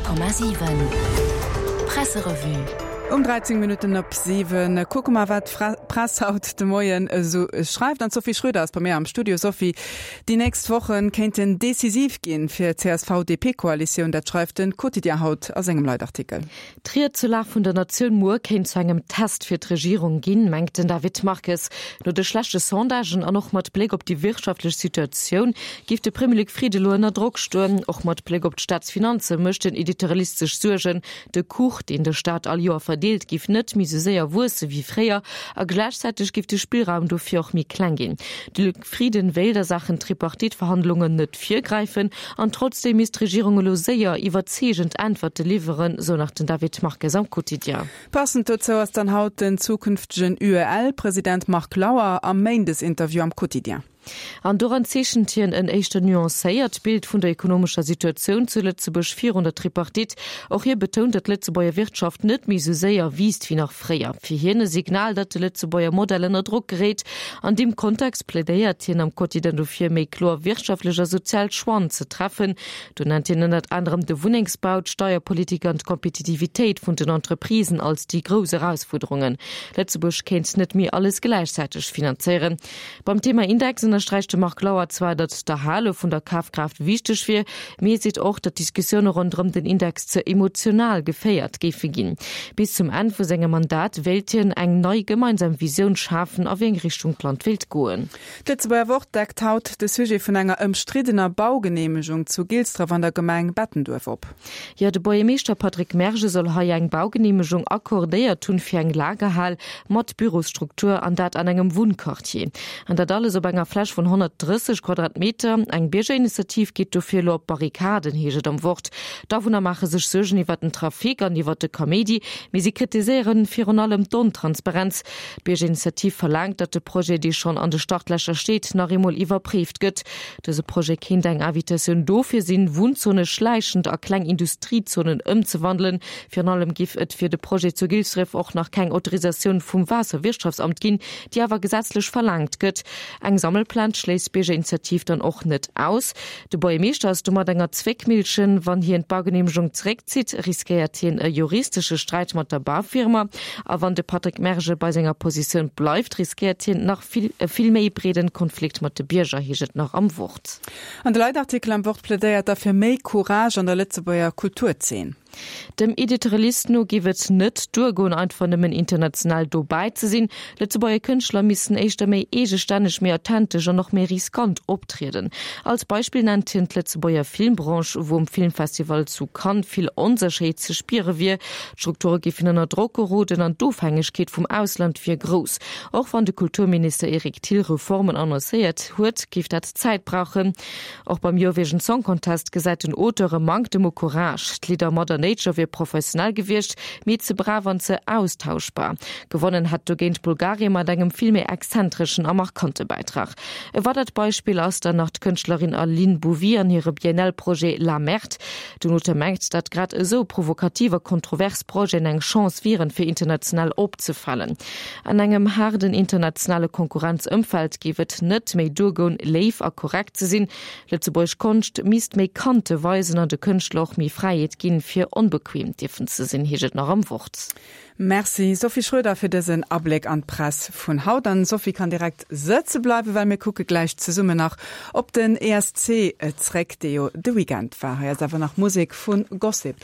100,7 Presserevue. Um 13 Minutten op 7 kucke mer, wat d'Press haut de Moien esou schreift. An d'Sophie Schröder ass bei mir am Studio. Sophie, déi nächst Woche kéinten decisiv ginn fir d'CSV-DP-Koalitioun. Dat schreift de Quotidien haut a sengem Leitartikel. D'Ried zur Lag vun der Natioun muer kéint zu engem Test fir d'Regierung ginn, mengt den David Marques. No de schlechte Sondagen an och mat Bléck op déi wirtschaftlech Situatioun géif de Premier Luc Frieden elo ënner Drock stoen. Och mat Bléck op d'Staatsfinanze mécht den Editorialist sech Suergen. De Kuch, deen de Staat all Joer verdeelt, géif net méi sou séier wuesse wéi fréier a gläichzäiteg géif de Spillraum dofir och méi kleng ginn. De Luc Frieden wéilt a Saachen Tripartite-Verhandlungen net virgräifen an trotzdeem misst d'Regierung elo séier iwwerzeegend Äntwerte liwweren, sou nach den David Marques am Quotidien. Passend dozou ass dann haut den zukünftegen UEL-President Marc Lauer am Méindesinterview am Quotidien. An doran zeechent hien en éischter nuancéiert Bild vun der ekonomescher Situatioun zu Lëtzebuerg virun der Tripartite. Och hie betount, datt d'Lëtzebuerger Wirtschaft net méi sou séier wiisst wéi nach fréier. Fir hien e Signal, datt de Lëtzebuerger Modell ënner Drock geréit. An deem Kontext plädéiert hien am Quotidien dofir, méi kloer wirtschaftlech a sozial Choixen ze treffen. Do nennt hien ënnert anerem de Wunnengsbau, d'Steierpolitik an d'Kompetitivitéit vun den Entreprisen als déi grouss Erausfuerderungen. Lëtzebuerg kéint net méi alles gläichzäiteg finanzéieren. Beim Thema Index ënnersträicht de Marc Lauer zwar, datt d'Erhale vun der Kafkraaft wichteg wier, mee hie seet och, datt d'Diskussioune ronderëm den Index ze emotional geféiert géife ginn. Bis zum Enn vu sengem Mandat wéilt hien eng nei gemeinsam Visioun schafen, a wéi eng Richtung d'Land wéilt goen. D'Lëtzebuerger Wort deckt haut de Sujet vun enger ëmstriddener Baugeneemegung zu Gilsdref an der Gemeng Bettenduerf op. Jo, de Buergermeeschter Patrick Mergen soll hei eng Baugeneemegung accordéiert hunn fir eng Lagerhal mat Bürosstruktur, an dat an engem Wunnquartier. An dat alles op enger Fläch vun 130 Quadratmeter. Eng Biergerinitiativ geet dofir elo op d'Barrikaden, heescht et am Wort. D'Awunner maache sech Suergen iwwer den Trafic an iwwer de Kaméidi, mee si kritiséieren virun allem d'Ontransparenz. D'Biergerinitiativ verlaangt, datt de Projet, dee schonn an de Startlächer steet, nach eemol iwwerpréift gëtt. Dëse Projet kéint eng Invitatioun dofir sinn, Wunnzone schläichend a kleng Industriezonen ëmzewandelen. Virun allem giff et fir de Projet zu Gilsdref och nach keng Autorisatioun vum Waasserwirtschaftsamt ginn, déi awer gesetzlech verlaangt gëtt. Eng Sammelplainte schléisst d'Biergerinitiativ dann och net aus. De Buergermeeschter ass domat enger Zwéckmillchen. Wann hien d'Baugeneemegung zeréckzitt, riskéiert hien e juristesche Sträit mat der Baufirma. A wann de Patrick Mergen bei senger Positioun bleift, riskéiert hien nach vill e vill méi breeden Konflikt mat de Bierger, heescht et nach am Wort. An de Leitartikel am Wort plädéiert da fir méi Courage an der Lëtzebuerger Kulturzeen. Dem Editorialist no géif et net duergoen, einfach nëmmen international dobäi ze sinn. Lëtzebuerger Kënschtler missten éischter méi eegestänneg, méi authentesch an och méi riskant optrieden. Als Beispill nennt hien d'Lëtzebuerger Filmbranche, wou um Filmfestival zu Cannes vill Onsécherheet ze spiere wier. D'Strukture géifen ënner Drock geroden an d'Ofhängegkeet vum Ausland wier grouss. Och wann de Kulturminister Eric Thill Reformen annoncéiert huet, géif dat Zäit brauchen. Och beim Eurovision Song Contest gesäit den Auteur e Manktem u Courage. D'Lidder Mother Nature wier professionell gewiescht, mee ze brav an ze austauschbar. Gewonnen hätt dogéint Bulgarien mat engem vill méi exzentreschen a markante Bäitrag. E weidert Beispill ass dann nach d'Kënschtlerin Aline Bouvy an hire Biennale-Projet La Merde. Den Auteur mengt, datt grad esou provokativ a kontrovers Projeten eng Chance wieren, fir international opzefalen. An engem haarden internationale Konkurrenzëmfeld géif et net méi duergoen, léif a korrekt ze sinn. Lëtzebuergesch Konscht misst méi Kante weisen an de Kënschtler och méi Fräiheet ginn, fir onbequem dierfen ze sinn, heescht et nach am Wort. Merci Sophie Schroeder fir dësen Abléck an d'Press vun haut. An Sophie kann direkt sëtze bleiwen, well mir kucke gläich zesummen nach op den ESC zréck, dee jo de Weekend war. Hei ass awer nach Musek vu Gossip.